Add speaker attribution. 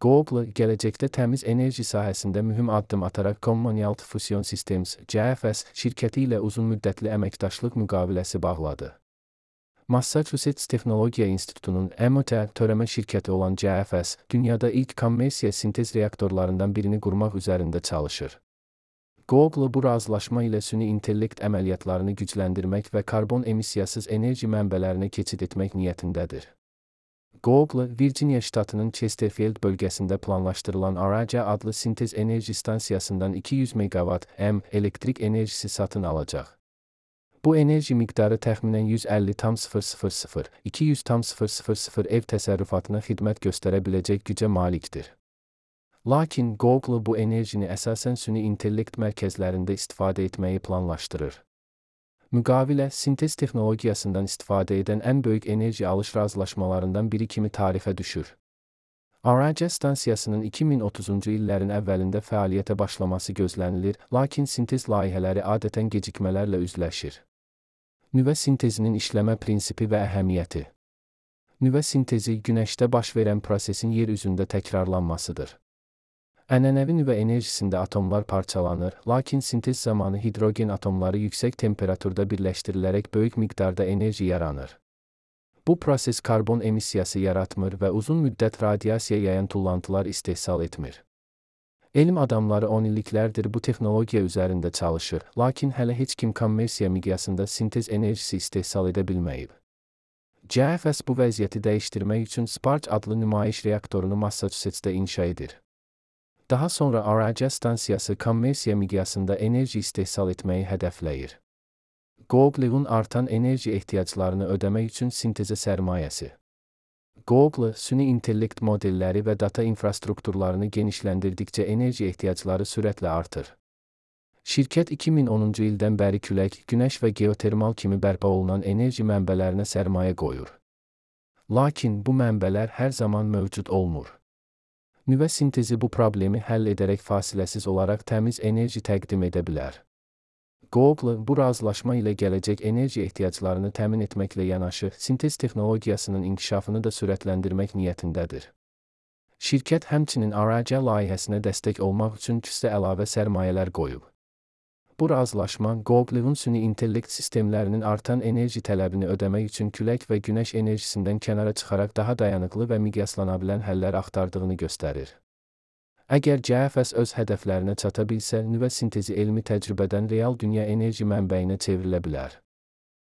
Speaker 1: Google, gələcəkdə təmiz enerji sahəsində mühüm addım ataraq Commonwealth Fusion Systems (CFS) şirkəti ilə uzunmüddətli əməkdaşlıq müqaviləsi bağladı. Massachusetts Texnologiya İnstitutunun MIT törəmə şirkəti olan CFS, dünyada ilk kommersiya sintez reaktorlarından birini qurmaq üzərində çalışır. Google bu razılaşma ilə süni intellekt əməliyyatlarını gücləndirmək və karbon emissiyasız enerji mənbələrinə keçid etmək niyyətindədir. Google, Virginia ştatının Chesterfield bölgəsində planlaşdırılan Araca adlı sintez enerji stansiyasından 200 MW elektrik enerjisi satın alacaq. Bu enerji miqdarı təxminən 150,000-200,000 ev təsərrüfatına xidmət göstərə biləcək gücə malikdir. Lakin Google bu enerjini əsasən süni intellekt mərkəzlərində istifadə etməyi planlaşdırır. Müqavilə, sintez texnologiyasından istifadə edən ən böyük enerji alış razılaşmalarından biri kimi tarixə düşür. Araca stansiyasının 2030-cu illərin əvvəlində fəaliyyətə başlaması gözlənilir, lakin sintez layihələri adətən gecikmələrlə üzləşir. Nüvə sintezinin işləmə prinsipi və əhəmiyyəti. Nüvə sintezi, günəşdə baş verən prosesin yer üzündə təkrarlanmasıdır. Ənənəvi nüvə enerjisində atomlar parçalanır, lakin sintez zamanı hidrogen atomları yüksək temperaturda birləşdirilərək böyük miqdarda enerji yaranır. Bu proses karbon emissiyası yaratmır və uzun müddət radiasiya yayan tullantılar istehsal etmir. Elm adamları 10 illiklərdir bu texnologiya üzərində çalışır, lakin hələ heç kim kommersiya miqyasında sintez enerjisi istehsal edə bilməyib. CFS bu vəziyyəti dəyişdirmək üçün Sparge adlı nümayiş reaktorunu Massachusetts'də inşa edir. Daha sonra Araca stansiyası kommersiya miqyasında enerji istehsal etməyi hədəfləyir. Google'un artan enerji ehtiyaclarını ödəmək üçün sintezə sərmayəsi. Google, süni intellekt modelləri və data infrastrukturlarını genişləndirdikcə enerji ehtiyacları sürətlə artır. Şirkət 2010-cu ildən bəri külək, günəş və geotermal kimi bərpa olunan enerji mənbələrinə sərmayə qoyur. Lakin bu mənbələr hər zaman mövcud olmur. Nüvə sintezi bu problemi həll edərək fasiləsiz olaraq təmiz enerji təqdim edə bilər. Google, bu razılaşma ilə gələcək enerji ehtiyaclarını təmin etməklə yanaşı, sintez texnologiyasının inkişafını da sürətləndirmək niyyətindədir. Şirkət həmçinin Araca layihəsinə dəstək olmaq üçün küsdə əlavə sərmayələr qoyub. Bu razılaşma, Google'un süni intellekt sistemlərinin artan enerji tələbini ödəmək üçün külək və günəş enerjisindən kənara çıxaraq daha dayanıqlı və miqyaslana bilən həllər axtardığını göstərir. Əgər CFS öz hədəflərinə çata bilsə, nüvə sintezi elmi təcrübədən real dünya enerji mənbəyinə çevrilə bilər.